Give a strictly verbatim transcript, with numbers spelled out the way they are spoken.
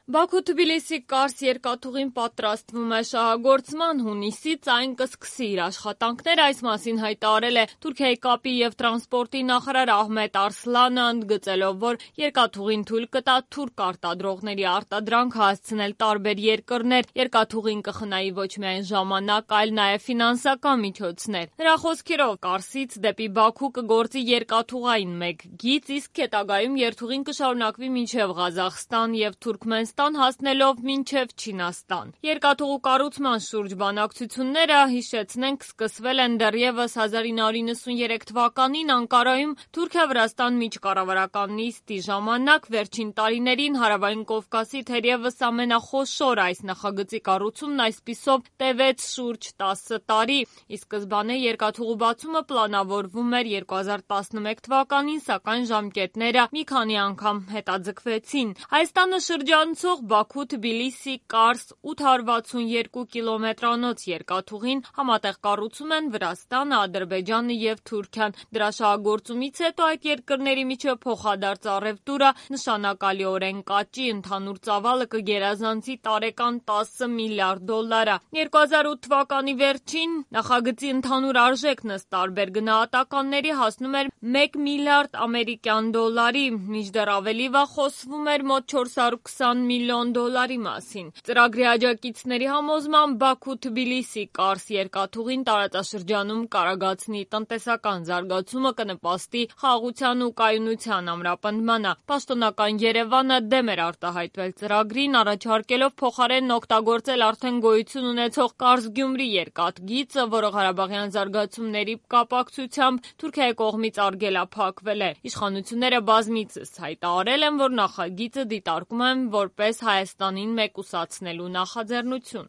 Բաքու-Թբիլիսի Կարս երկաթուղին պատրաստվում է շահագործման, հունիսից այն կսկսի իր աշխատանքները, այս մասին հայտարարել է Թուրքիայի կապի և տրանսպորտի նախարար Ահմեդ Արսլանը, ընդգծելով, որ երկաթուղին թույլ կտա թուրք արտադրողների արտադրանքը հասցնել տարբեր երկրներ, երկաթուղին կխնայի ոչ միայն ժամանակ, այլ նաև ֆինանսական միջոցներ։ Նրա խոսքերով Կարսից դեպի Բաքու կգործի երկաթուղային մեկ գիծ, իսկ հետագայում երթուղին կշարունակվի մինչև Ղազախստան և Թուրքմենստան հասնելով մինչև Չինաստան։ Երկաթուղու կառուցման շուրջ բանակցությունները, հիշեցնենք, սկսվել են դեռևս հազար ինը հարյուր նվաթ թվականին Անկարայում Թուրքիա-Վրաստան միջկառավարական նիստի ժամանակ։ Վերջին տարիներին Հարավային Կովկասի թերևս ամենախոշոր այս նախագծի կառուցումն այսպիսով տևեց շուրջ տասը տարի։ Ի սկզբանե երկաթուղու բացումը պլանավորվում էր երկու հազար տասնմեկ թվականին, սակայն ժամկետները մի քանի անգամ հետաձգվեցին։ Հայաստանը շրջանցող Բաքու-Թբիլիսի Կարս ութ հարյուր վաթսունյոթ կիլոմետրանոց երկաթուղին համատեղ կառուցում են Վրաստանը, Ադրբեջանը և Թուրքիան։ Դրա շահագործումից հետո այդ երկրների միջև փոխադարձ առևտուրը նշանակալիորեն կաճի, ընդհանուր ծավալը կգերազանցի տարեկան տասը միլիարդ դոլարը։ երկու հազար ութ թվականի վերջին նախագծի ընդհանուր արժեքն ըստ տարբեր գնահատականների հասնում էր մեկ միլիարդ ամերիկյան դոլարի, մինչդեռ ավելի վաղ խոսվում էր մոտ չորս հարյուր քսան միլիոն դոլարի մասին։ Ծրագրի աջակիցների համոզմամբ Բաքու-Թբիլիսի Կարս երկաթուղին տարածաշրջանում կարագացնի տնտեսական զարգացումը, կնպաստի խաղաղության ու կայունության ամրապնդմանը։ Պաշտոնական Երևանը դեմ էր արտահայտվել ծրագրին, առաջարկելով փոխարենն օգտագործել արդեն գոյություն ունեցող Կարս-Գյումրի երկաթգիծը, որը ղարաբաղյան զարգացումների կապակցությամբ Թուրքիայի կողմից արգելափակվել է։ Իշխանությունները բազմիցս հայտարարել են, որ նախագիծը դիտարկում են որպես Հայաստանին մեկուսացնելու նախաձեռնություն։